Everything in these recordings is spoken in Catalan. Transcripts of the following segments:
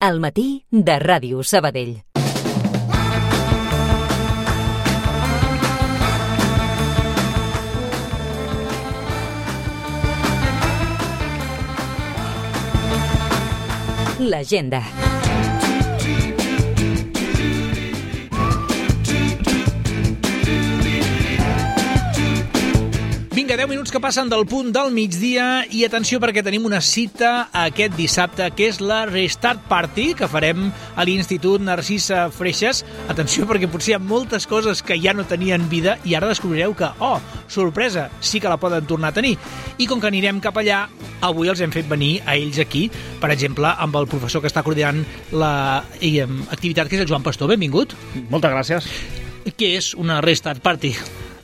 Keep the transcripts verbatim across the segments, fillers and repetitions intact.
Al matí de Ràdio Sabadell. L'agenda. Vinga, deu minuts que passen del punt del migdia i atenció perquè tenim una cita aquest dissabte que és la Restart Party que farem a l'Institut Narcisa Freixas. Atenció perquè potser hi ha moltes coses que ja no tenien vida i ara descobrireu que, oh, sorpresa, sí que la poden tornar a tenir. I com que anirem cap allà, avui els hem fet venir a ells aquí, per exemple, amb el professor que està coordinant l'activitat, que és el Joan Pastor. Benvingut. Moltes gràcies. Què és una Restart Party?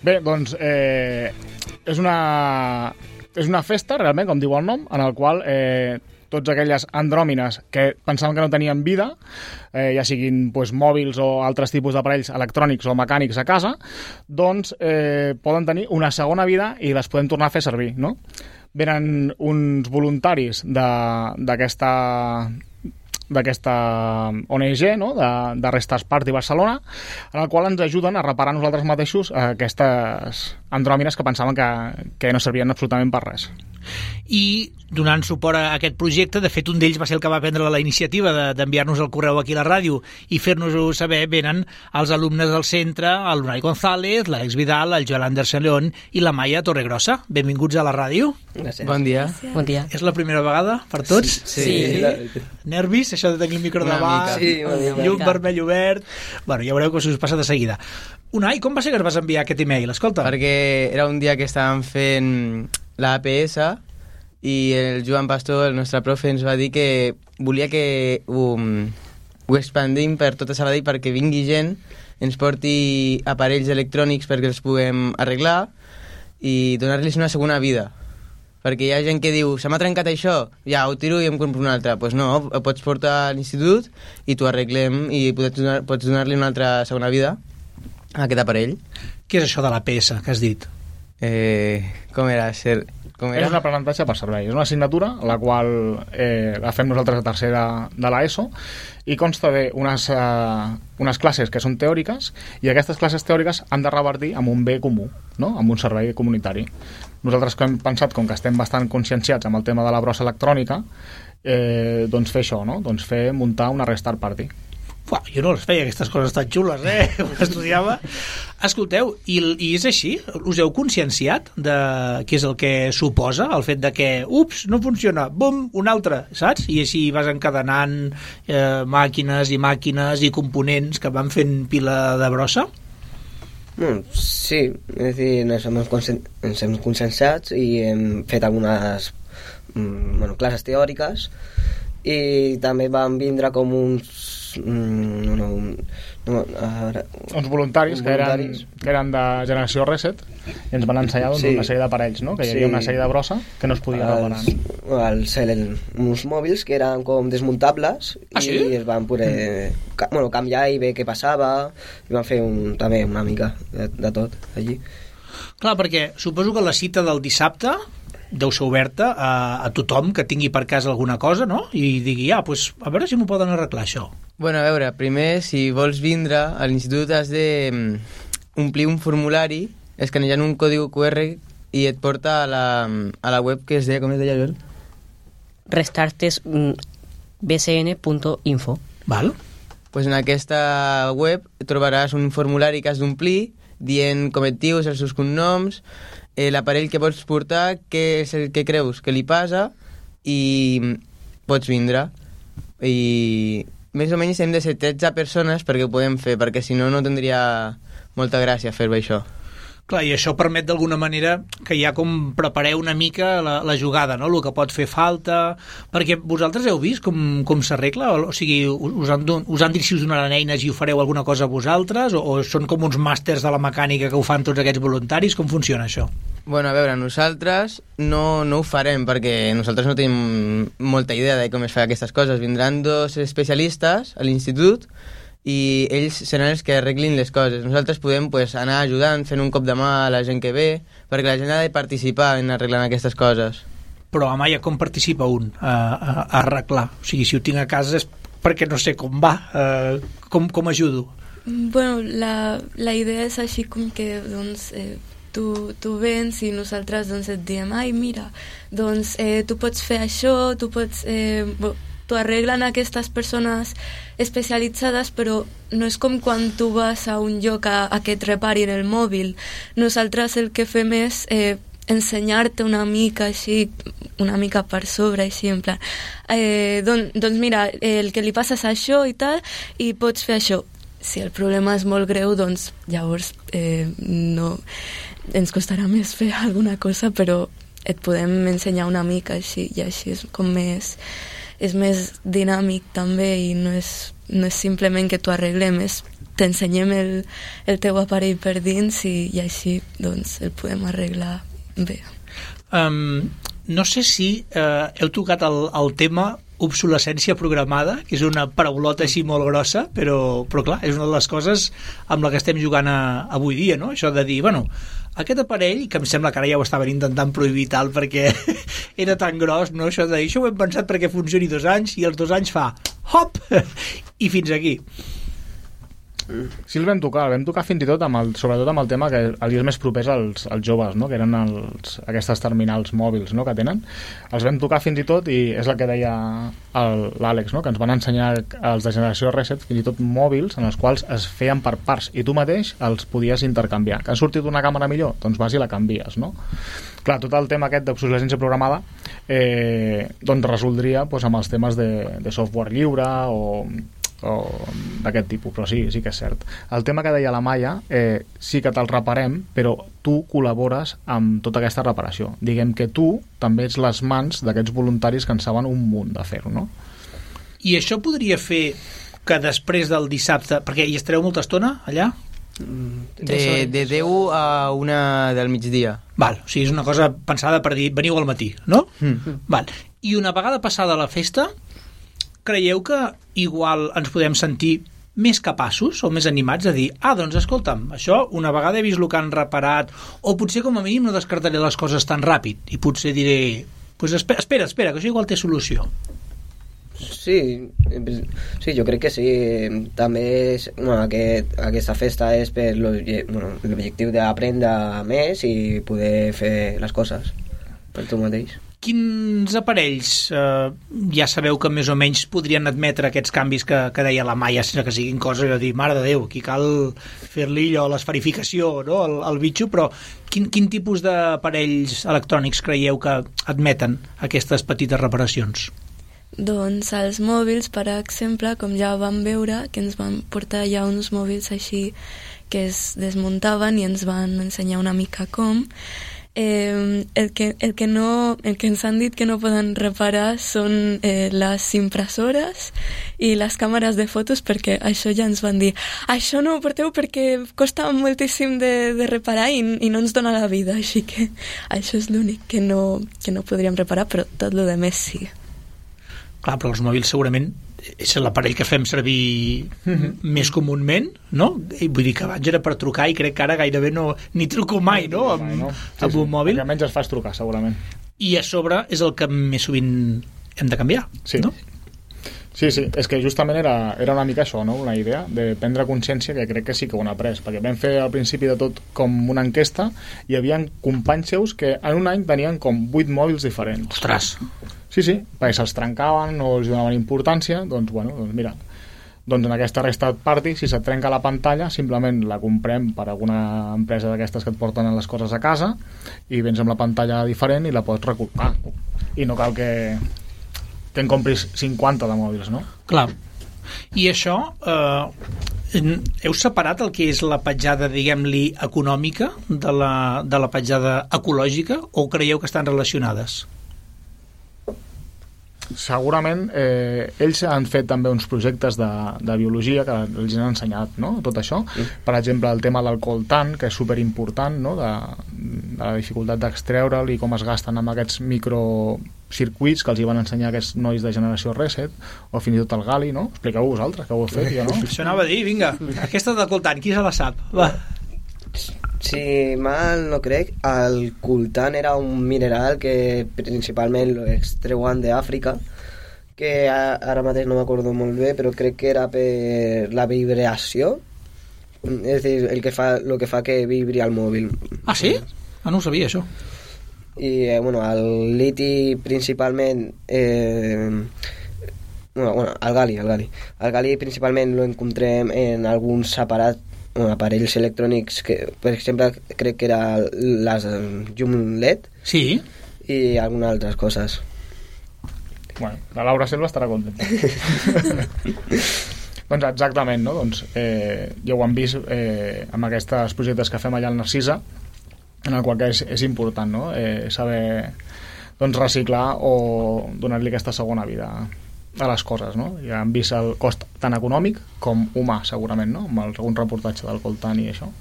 Bé, doncs... Eh... És una, és una festa, realment, com diu el nom, en el qual eh, tots aquelles andròmines que pensaven que no tenien vida, eh, ja siguin pues, mòbils o altres tipus d'aparells electrònics o mecànics a casa, doncs eh, poden tenir una segona vida i les podem tornar a fer servir, no? Venen uns voluntaris d'aquesta... d'aquesta O N G, no? de, de Restart Party Barcelona, en el qual ens ajuden a reparar nosaltres mateixos aquestes andròmines que pensaven que, que no servien absolutament per res. I donant suport a aquest projecte, de fet un d'ells va ser el que va prendre la iniciativa d'enviar-nos el correu aquí a la ràdio i fer-nos-ho saber, venen els alumnes del centre, el Lunay González, l'Àlex Vidal, el Joel Anderson León i la Maia Torregrossa. Benvinguts a la ràdio. Gràcies. Bon dia. Bon dia. És la primera vegada per tots? Sí. sí. sí. Nervis, això de tenir el micro davant, sí, llum vermell obert... Bueno, ja veureu que us passa de seguida. Unai, com va ser que ens vas enviar aquest e-mail? Escolta. Perquè era un dia que estàvem fent la A P S i el Joan Pastor, el nostre profe, ens va dir que volia que um, ho expandim per tota Sabadell perquè vingui gent, ens porti aparells electrònics perquè els puguem arreglar i donar-los una segona vida. Perquè hi ha gent que diu, se m'ha trencat això, ja, ho tiro i em compro un altre. Doncs pues no, ho pots portar a l'institut i t'ho arreglem i pots donar, pots donar-li una altra segona vida a aquest aparell. Què és això de l'A P S que has dit? Eh, com era? Ser... Com era? És un aprenentatge per servei. És una assignatura la qual eh, la fem nosaltres a tercera de l'ESO i consta d'unes uh, unes classes que són teòriques i aquestes classes teòriques han de revertir amb un bé comú, no? Amb un servei comunitari. Nosaltres que hem pensat, com que estem bastant conscienciats amb el tema de la brossa electrònica, eh, doncs fer això, no? Doncs fer muntar una Restart Party. Uau, jo no les feia, aquestes coses tan xules, eh? Estudiava. Escolteu, i, i és així? Us heu conscienciat de què és el que suposa el fet de que, ups, no funciona, bum, un altre, saps? I així vas encadenant eh, màquines i màquines i components que van fent pila de brossa? Mm, sí, és a dir, ens hem, ens hem conscienciat i hem fet algunes mm, bueno, classes teòriques i també van vindre com uns Mm, no, no, ara, uns voluntaris, uns que, voluntaris. Eren, que eren de Generació Reset i ens van ensenyar doncs, sí. una sèrie d'aparells, no? Que hi havia sí. una sèrie de brossa que no es podia reparar. Els, els, uns mòbils que eren com desmuntables ah, i sí? es van poder ca, bueno, canviar i veure què passava i van fer un, també una mica de, de tot allí. Clar, perquè suposo que la cita del dissabte deu ser oberta a, a tothom que tingui per casa alguna cosa, no? I digui, ah, pues, a veure si m'ho poden arreglar això. Bueno, a veure, primer, si vols vindre a l'institut has de omplir un formulari escanejant un còdigo Q R i et porta a la, a la web que es deia, com es deia, Joel? restartes b c n punt info. Val. Pues en aquesta web trobaràs un formulari que has d'omplir dient com et dius, els seus cognoms, eh, l'aparell que pots portar, què és el que creus que li passa i pots vindre. I més o menys hem de ser tretze persones perquè ho podem fer, perquè si no no tindria molta gràcia fer-ho això. Clar, i això permet d'alguna manera que ja com prepareu una mica la, la jugada, no? El que pot fer falta, perquè vosaltres heu vist com, com s'arregla? O sigui, us han, us han dit si us donaran eines i ho fareu alguna cosa vosaltres? O, o són com uns màsters de la mecànica que ho fan tots aquests voluntaris? Com funciona això? Bueno, a veure, nosaltres no, no ho farem perquè nosaltres no tenim molta idea de com es fa aquestes coses. Vindran dos especialistes a l'institut i ells seran els que arreglin les coses. Nosaltres podem pues, anar ajudant, fent un cop de mà a la gent que ve, perquè la gent ha de participar en arreglant aquestes coses. Però, Amaya, com participa un a, a, a arreglar? O sigui, si ho tinc a casa és perquè no sé com va, eh, com, com ajudo. Bueno, la, la idea és així com que, doncs, eh, tu, tu vens i nosaltres doncs, et diem, ai, mira, doncs eh, tu pots fer això, tu pots... Eh, t'ho arreglen aquestes persones especialitzades, però no és com quan tu vas a un lloc a, a que et reparin el mòbil. Nosaltres el que fem és eh, ensenyar-te una mica així, una mica per sobre, així, en plan, eh, don, doncs mira, el que li passa és això i tal, i pots fer això. Si el problema és molt greu, doncs llavors eh, no, ens costarà més fer alguna cosa, però et podem ensenyar una mica així, i així és com més... és més dinàmic també i no és, no és simplement que t'ho arreglem, és t'ensenyem el, el teu aparell per dins i, i així doncs el podem arreglar bé. Um, no sé si uh, heu tocat el, el tema obsolescència programada, que és una paraulota així molt grossa, però, però clar, és una de les coses amb la que estem jugant a, avui dia, no? Això de dir, bueno, aquest aparell, que em sembla que ara ja ho estaven intentant prohibir tal perquè era tan gros, no? Això de dir, això ho hem pensat perquè funcioni dos anys i els dos anys fa hop i fins aquí. Sí, el vam tocar, el vam tocar fins i tot amb el, sobretot amb el tema que els és més propers als, als joves, no? Que eren els, aquestes terminals mòbils, no? Que tenen. Els vam tocar fins i tot, i és el que deia l'Àlex, no? Que ens van ensenyar els de generació Reset fins i tot mòbils en els quals es feien per parts i tu mateix els podies intercanviar. Que ha sortit una càmera millor? Doncs vas i la canvies, no? Clar, tot el tema aquest d'obsolescència programada eh, doncs resoldria doncs, amb els temes de, de software lliure o o d'aquest tipus, però sí, sí que és cert. El tema que deia la Maia, eh, sí que te'l reparem, però tu col·labores amb tota aquesta reparació. Diguem que tu també ets les mans d'aquests voluntaris que en saben un munt de fer-ho, no? I això podria fer que després del dissabte, perquè hi estareu molta estona allà? De, de deu a una del migdia. Val, o sigui, és una cosa pensada per dir veniu al matí, no? Mm. Val. I una vegada passada la festa, creieu que igual ens podem sentir més capaços o més animats a dir, ah, doncs escolta'm, això una vegada he vist el que han reparat, o potser com a mínim no descartaré les coses tan ràpid i potser diré, pues espera, espera, espera que això igual té solució. Sí, sí, jo crec que sí. També és, bueno, aquest, aquesta festa és per l'objectiu bueno, d'aprendre més i poder fer les coses per tu mateix. Quins aparells eh, ja sabeu que més o menys podrien admetre aquests canvis que, que deia la Maia, sense que siguin coses de dir, mare de Déu, aquí cal fer-li allò, l'esferificació, no?, el, el bitxo, però quin, quin tipus d'aparells electrònics creieu que admeten aquestes petites reparacions? Doncs els mòbils, per exemple, com ja vam veure, que ens van portar ja uns mòbils així que es desmuntaven i ens van ensenyar una mica com. Eh, el, que, el, que no, el que ens han dit que no poden reparar són eh, les impressores i les càmeres de fotos, perquè això ja ens van dir, això no ho porteu perquè costa moltíssim de, de reparar i, i no ens dona la vida, així que això és l'únic que no, que no podríem reparar, però tot el que més sí. Clar, però els mòbils segurament és l'aparell que fem servir mm-hmm. més comúment, no? I vull dir que abans era per trucar i crec que ara gairebé no, ni truco mai, no? Amb, no. Sí, amb un sí. mòbil. Almenys es fas trucar, segurament. I a sobre és el que més sovint hem de canviar, sí. No? Sí, sí, és que justament era, era una mica això, no? Una idea de prendre consciència, que crec que sí que ho han après, perquè vam fer al principi de tot com una enquesta i hi havia companys seus que en un any tenien com vuit mòbils diferents. Ostres! Sí, sí, perquè se'ls trencaven o els donaven importància, doncs, bueno, doncs mira, doncs en aquesta Restart Party, si se't trenca la pantalla, simplement la comprem per alguna empresa d'aquestes que et porten les coses a casa i vens amb la pantalla diferent i la pots recolcar. I no cal que, que en compris cinquanta de mòbils, no? Clar. I això, eh, heu separat el que és la petjada, diguem-li, econòmica de la, de la petjada ecològica o creieu que estan relacionades? Segurament eh, ells han fet també uns projectes de, de biologia que els han ensenyat, no?, tot això. Mm. Per exemple, el tema del coltan, que és superimportant, no?, de, de la dificultat d'extreure'l i com es gasten amb aquests microcircuits que els hi van ensenyar aquests nois de generació Reset, o fins i tot el Gali, no? Expliqueu vosaltres, que ho heu fet, jo no? Això anava a dir, vinga, aquesta del coltan, qui se la sap? Va. Si mal no crec, el coltan era un mineral que principalment l'extreuen d'Àfrica, que ara mateix no m'acordo molt bé, però crec que era per la vibració, és a dir, el que fa, el que fa que vibri el mòbil. Ah, sí? Ah, no ho sabia, això. I, eh, bueno, el liti principalment... Eh, bueno, bueno, el gali, el gali. El gali principalment lo encontrem en alguns aparats, bueno, aparells electrònics que, per exemple, crec que era les llum L E D. Sí. I algunes altres coses. Bueno, la Laura Selva estarà contenta. Doncs exactament, no? Doncs, eh, ja ho han vist eh, amb aquests projectes que fem allà al Narcisa, en el qual que és, és important, no? Eh, saber doncs, reciclar o donar-li aquesta segona vida a les coses, no? Ja han vist el cost tant econòmic com humà, segurament, no? Amb algun reportatge del Coltan i això.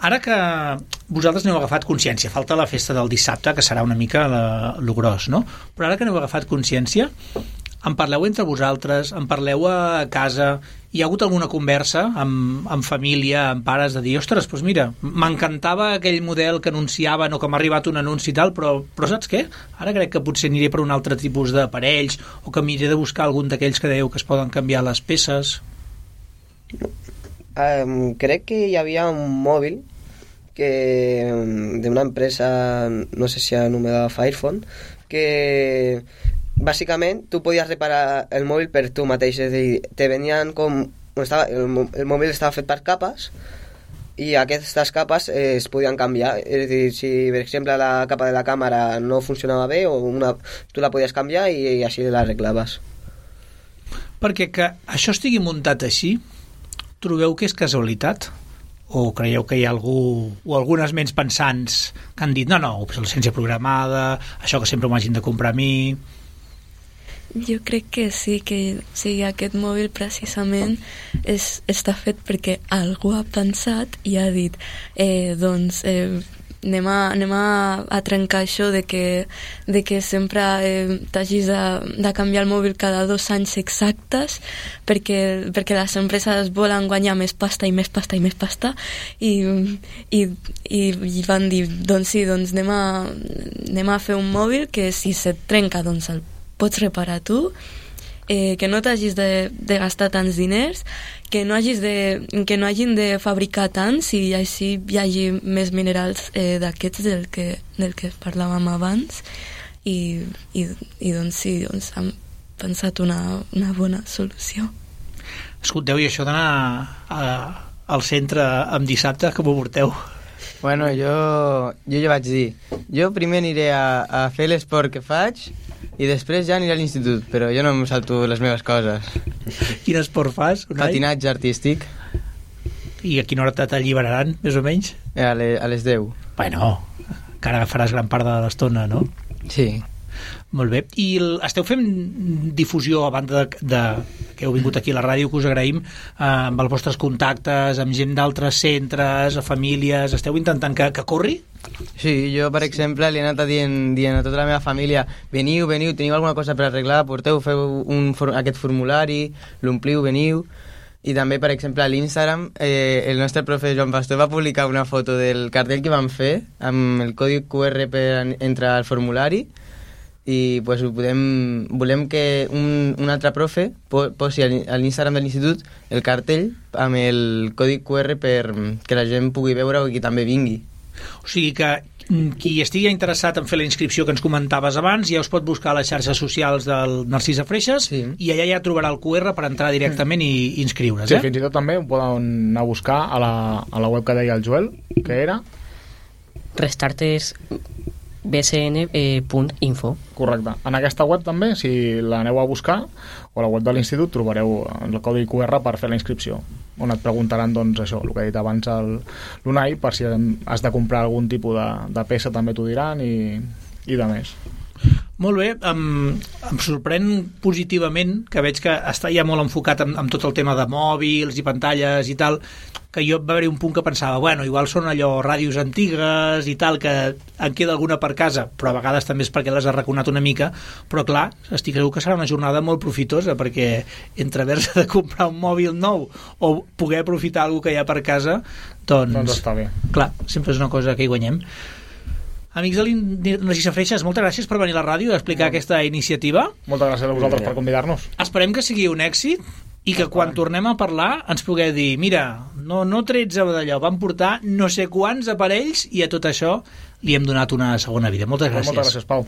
Ara que vosaltres n'heu agafat consciència, falta la festa del dissabte, que serà una mica la, lo gros, no? Però ara que n'heu agafat consciència, en parleu entre vosaltres, en parleu a casa, hi ha hagut alguna conversa amb, amb família, amb pares, de dir, ostres, doncs mira, m'encantava aquell model que anunciaven o que m'ha arribat un anunci i tal, però, però saps què? Ara crec que potser aniré per un altre tipus d'aparells o que m'iré de buscar algun d'aquells que dèieu que es poden canviar les peces. Um, crec que hi havia un mòbil que d'una empresa, no sé si anomenada Firephone, que bàsicament tu podies reparar el mòbil per tu mateix, és a dir, te venien com... Estava, el, el mòbil estava fet per capes i aquestes capes eh, es podien canviar, és a dir, si per exemple la capa de la càmera no funcionava bé o una, tu la podies canviar i, i així l'arreglaves. Perquè que això estigui muntat així, trobeu que és casualitat? O creieu que hi ha algú o algunes ments pensants que han dit no, no, obsolescència programada, això que sempre m'ho hagin de comprar a mi? Jo crec que sí, que sí, aquest mòbil precisament és, està fet perquè algú ha pensat i ha dit eh, doncs eh, anem, a, anem a, a trencar això de que, de que sempre eh, t'hagis de, de canviar el mòbil cada dos anys exactes perquè, perquè les empreses volen guanyar més pasta i més pasta i més pasta i, i, i, i van dir doncs sí, doncs anem a, anem a fer un mòbil que si se't trenca doncs el pots reparar tu, eh, que no t'hagis de, de gastar tants diners, que no, hagis de, que no hagin de fabricar tants i així hi hagi més minerals eh, d'aquests del que, del que parlàvem abans i, i, i doncs sí, doncs hem pensat una, una bona solució. Escolteu, i això d'anar a, al centre amb dissabte, com ho porteu? Bueno, jo, jo ja vaig dir, jo primer aniré a, a fer l'esport que faig i després ja aniré a l'institut, però jo no em salto les meves coses. Quin esport fas, Unai? Patinatge artístic. I a quina hora t'alliberaran, més o menys? A, le, a les deu. Bueno, encara faràs gran part de l'estona, no? Sí. Molt bé. I el, esteu fent difusió a banda de, de que heu vingut aquí a la ràdio, que us agraïm, eh, amb els vostres contactes, amb gent d'altres centres, a famílies, esteu intentant que, que corri? Sí, jo, per exemple, li he anat dient, dient a tota la meva família veniu, veniu, teniu alguna cosa per arreglar, porteu, feu un, aquest formulari, l'ompliu, veniu. I també, per exemple, a l'Instagram, eh, el nostre profe Joan Pastor va publicar una foto del cartell que vam fer amb el codi Q R per entrar al formulari i pues, ho podem, volem que un, un altre profe posi a l'Instagram de l'institut el cartell amb el codi Q R per que la gent pugui veure i que també vingui. O sigui que qui estigui interessat en fer la inscripció que ens comentaves abans ja us pot buscar a les xarxes socials del Narcisa Freixes, sí, i allà ja trobarà el Q R per entrar directament i inscriure's. Sí, eh? fins i tot també ho poden anar a buscar a la, a la web que deia el Joel, que era restarters b c n punt info. Correcte. En aquesta web també, si l'aneu a buscar, o a la web de l'institut, trobareu el codi Q R per fer la inscripció, on et preguntaran, doncs, això, el que ha dit abans l'Unai, per si has de comprar algun tipus de, de peça, també t'ho diran, i, i de més. Molt bé, em, em sorprèn positivament que veig que està ja molt enfocat en, en tot el tema de mòbils i pantalles i tal, que jo va haver un punt que pensava, bueno, igual són allò ràdios antigues i tal, que en queda alguna per casa, però a vegades també és perquè les ha raconat una mica, però clar, estic segur que serà una jornada molt profitosa, perquè entre haver-se de comprar un mòbil nou o poder aprofitar alguna que hi ha per casa, doncs... Doncs està bé. Clar, sempre és una cosa que hi guanyem. Amics de l'Inarcisa Freixas, moltes gràcies per venir a la ràdio a explicar no. aquesta iniciativa. Moltes gràcies a vosaltres per convidar-nos. Esperem que sigui un èxit i que quan tornem a parlar ens pugueu dir, mira, no, no tretze d'allò, vam portar no sé quants aparells i a tot això li hem donat una segona vida. Moltes gràcies. Moltes gràcies, Pau.